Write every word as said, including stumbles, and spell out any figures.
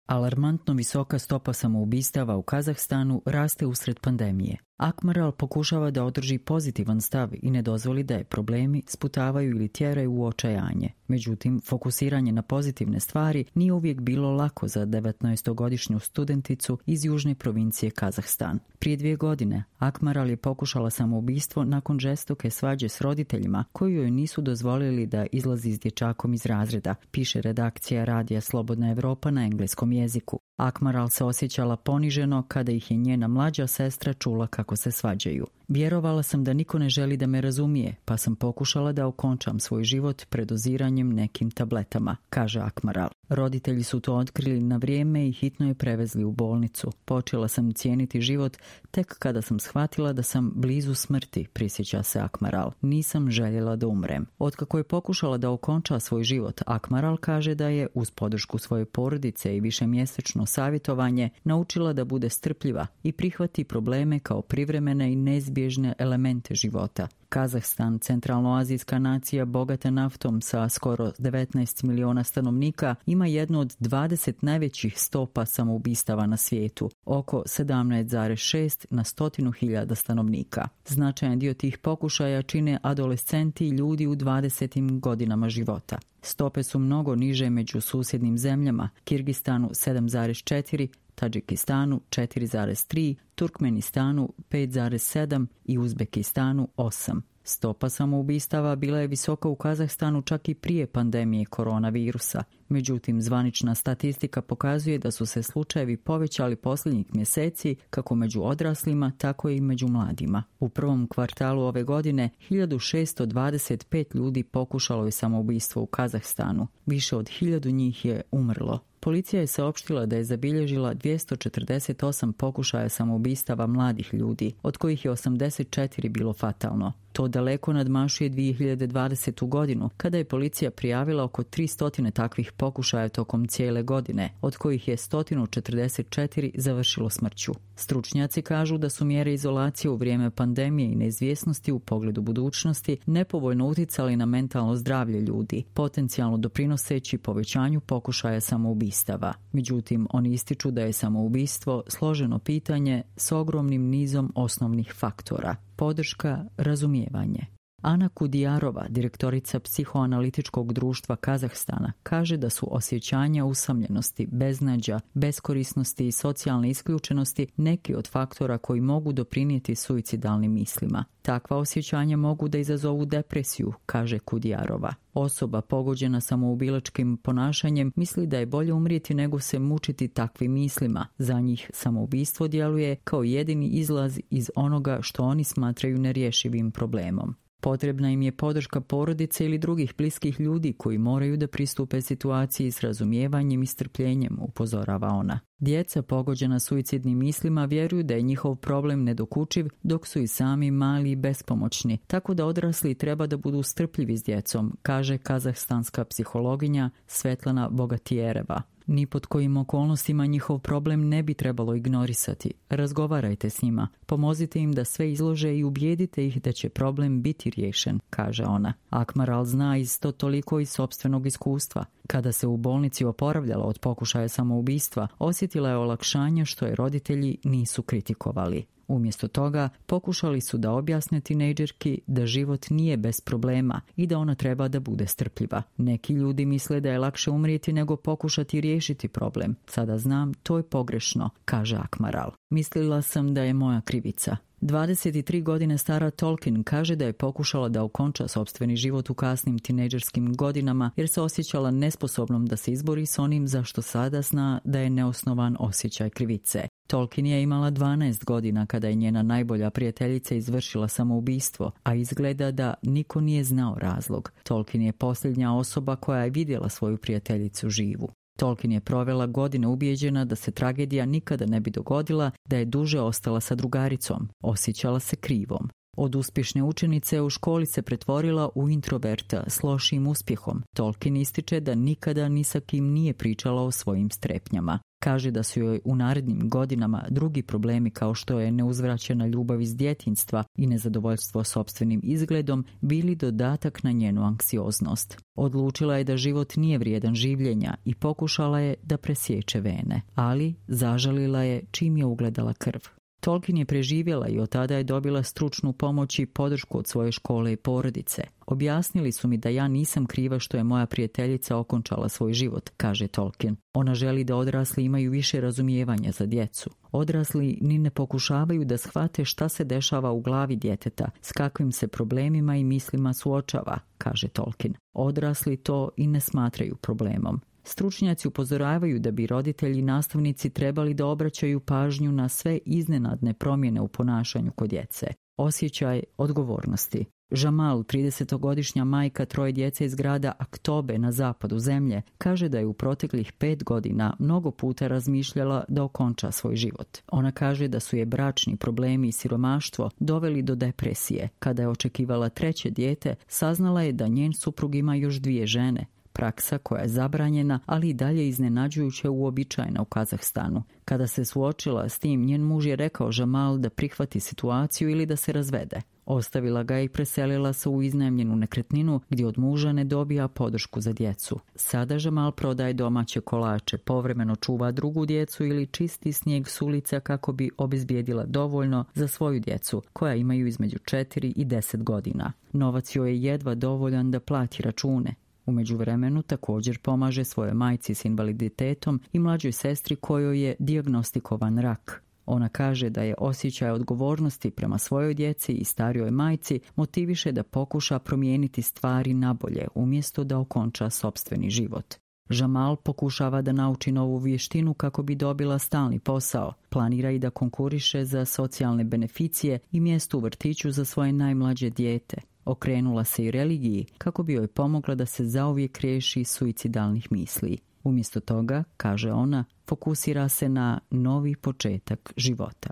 Alarmantno visoka stopa samoubistava u Kazahstanu raste usred pandemije. Akmaral pokušava da održi pozitivan stav i ne dozvoli da je problemi sputavaju ili tjeraju u očajanje. Međutim, fokusiranje na pozitivne stvari nije uvijek bilo lako za devetnaestogodišnju studenticu iz južne provincije Kazahstan. Prije dvije godine Akmaral je pokušala samoubistvo nakon žestoke svađe s roditeljima koji joj nisu dozvolili da izlazi s dječakom iz razreda, piše redakcija radija Slobodna Evropa na engleskom jeziku. Akmaral se osjećala poniženo kada ih je njena mlađa sestra čula kako se svađaju. Vjerovala sam da niko ne želi da me razumije, pa sam pokušala da okončam svoj život predoziranjem nekim tabletama, kaže Akmaral. Roditelji su to otkrili na vrijeme i hitno je prevezli u bolnicu. Počela sam cijeniti život tek kada sam shvatila da sam blizu smrti, prisjeća se Akmaral. Nisam željela da umrem. Otkako je pokušala da okonča svoj život, Akmaral kaže da je, uz podršku svoje porodice i višemjesečno savjetovanje, naučila da bude strpljiva i prihvati probleme kao privremene i neizbježne elemente života. Kazahstan, centralnoazijska nacija bogata naftom sa skoro devetnaest miliona stanovnika, ima jednu od dvadeset najvećih stopa samoubistava na svijetu, oko sedamnaest zarez šest na stotinu hiljada stanovnika. Značajan dio tih pokušaja čine adolescenti i ljudi u dvadesetim godinama života. Stope su mnogo niže među susjednim zemljama, Kirgistanu sedam zarez četiri, Tadžikistanu četiri zarez tri, Turkmenistanu pet zarez sedam i Uzbekistanu osam. Stopa samoubistava bila je visoka u Kazahstanu čak i prije pandemije koronavirusa. Međutim, zvanična statistika pokazuje da su se slučajevi povećali posljednjih mjeseci kako među odraslima, tako i među mladima. U prvom kvartalu ove godine hiljadu šesto dvadeset pet ljudi pokušalo je samoubistvo u Kazahstanu. Više od hiljadu njih je umrlo. Policija je saopštila da je zabilježila dvjesto četrdeset osam pokušaja samoubistava mladih ljudi, od kojih je osamdeset četiri bilo fatalno. To daleko nadmašuje dvije hiljade dvadesete. godinu, kada je policija prijavila oko tristo takvih pokušaja tokom cijele godine, od kojih je sto četrdeset četiri završilo smrću. Stručnjaci kažu da su mjere izolacije u vrijeme pandemije i neizvjesnosti u pogledu budućnosti nepovoljno utjecali na mentalno zdravlje ljudi, potencijalno doprinoseći povećanju pokušaja samoubistava. Međutim, oni ističu da je samoubistvo složeno pitanje s ogromnim nizom osnovnih faktora. Podrška, razumijevanje. Ana Kudijarova, direktorica psihoanalitičkog društva Kazahstana, kaže da su osjećanja usamljenosti, beznađa, beskorisnosti i socijalne isključenosti neki od faktora koji mogu doprinijeti suicidalnim mislima. Takva osjećanja mogu da izazovu depresiju, kaže Kudijarova. Osoba pogođena samoubilačkim ponašanjem misli da je bolje umrijeti nego se mučiti takvim mislima. Za njih samoubistvo djeluje kao jedini izlaz iz onoga što oni smatraju nerješivim problemom. Potrebna im je podrška porodice ili drugih bliskih ljudi koji moraju da pristupe situaciji s razumijevanjem i strpljenjem, upozorava ona. Djeca pogođena suicidnim mislima vjeruju da je njihov problem nedokučiv dok su i sami mali i bespomoćni, tako da odrasli treba da budu strpljivi s djecom, kaže kazahstanska psihologinja Svetlana Bogatijereva. Ni pod kojim okolnostima njihov problem ne bi trebalo ignorisati. Razgovarajte s njima, pomozite im da sve izlože i ubijedite ih da će problem biti riješen, kaže ona. Akmaral zna isto toliko iz sopstvenog iskustva. Kada se u bolnici oporavljala od pokušaja samoubistva, osjetila je olakšanje što je roditelji nisu kritikovali. Umjesto toga, pokušali su da objasne tinejdžerki da život nije bez problema i da ona treba da bude strpljiva. Neki ljudi misle da je lakše umrijeti nego pokušati riješiti problem. Sada znam, to je pogrešno, kaže Akmaral. Mislila sam da je moja krivica. dvadeset tri godine stara Tolkien kaže da je pokušala da okonča sopstveni život u kasnim tinejdžerskim godinama jer se osjećala nesposobnom da se izbori s onim za što sada zna da je neosnovan osjećaj krivice. Tolkien je imala dvanaest godina kada je njena najbolja prijateljica izvršila samoubistvo, a izgleda da niko nije znao razlog. Tolkien je posljednja osoba koja je vidjela svoju prijateljicu živu. Tolkien je provela godine ubijeđena da se tragedija nikada ne bi dogodila, da je duže ostala sa drugaricom. Osjećala se krivom. Od uspješne učenice u školi se pretvorila u introverta s lošim uspjehom. Tolkien ističe da nikada ni sa kim nije pričala o svojim strepnjama. Kaže da su joj u narednim godinama drugi problemi kao što je neuzvraćena ljubav iz djetinjstva i nezadovoljstvo sopstvenim izgledom bili dodatak na njenu anksioznost. Odlučila je da život nije vrijedan življenja i pokušala je da presječe vene, ali zažalila je čim je ugledala krv. Tolkien je preživjela i od tada je dobila stručnu pomoć i podršku od svoje škole i porodice. Objasnili su mi da ja nisam kriva što je moja prijateljica okončala svoj život, kaže Tolkien. Ona želi da odrasli imaju više razumijevanja za djecu. Odrasli ni ne pokušavaju da shvate šta se dešava u glavi djeteta, s kakvim se problemima i mislima suočava, kaže Tolkien. Odrasli to i ne smatraju problemom. Stručnjaci upozoravaju da bi roditelji i nastavnici trebali da obraćaju pažnju na sve iznenadne promjene u ponašanju kod djece. Osjećaj odgovornosti. Jamal, tridesetogodišnja majka troje djece iz grada Aktobe na zapadu zemlje, kaže da je u proteklih pet godina mnogo puta razmišljala da okonča svoj život. Ona kaže da su je bračni problemi i siromaštvo doveli do depresije. Kada je očekivala treće dijete, saznala je da njen suprug ima još dvije žene. Praksa koja je zabranjena, ali i dalje iznenađujuće uobičajena u Kazahstanu. Kada se suočila s tim, njen muž je rekao Jamal da prihvati situaciju ili da se razvede. Ostavila ga i preselila se u iznajmljenu nekretninu gdje od muža ne dobija podršku za djecu. Sada Jamal prodaje domaće kolače, povremeno čuva drugu djecu ili čisti snijeg s ulica kako bi obezbijedila dovoljno za svoju djecu, koja imaju između četiri i deset godina. Novac joj je jedva dovoljan da plati račune. U međuvremenu također pomaže svojoj majci s invaliditetom i mlađoj sestri kojoj je dijagnostikovan rak. Ona kaže da je osjećaj odgovornosti prema svojoj djeci i starijoj majci motiviše da pokuša promijeniti stvari nabolje umjesto da okonča sopstveni život. Jamal pokušava da nauči novu vještinu kako bi dobila stalni posao. Planira i da konkuriše za socijalne beneficije i mjesto u vrtiću za svoje najmlađe dijete. Okrenula se i religiji kako bi joj pomogla da se zauvijek riješi suicidalnih misli. Umjesto toga, kaže ona, fokusira se na novi početak života.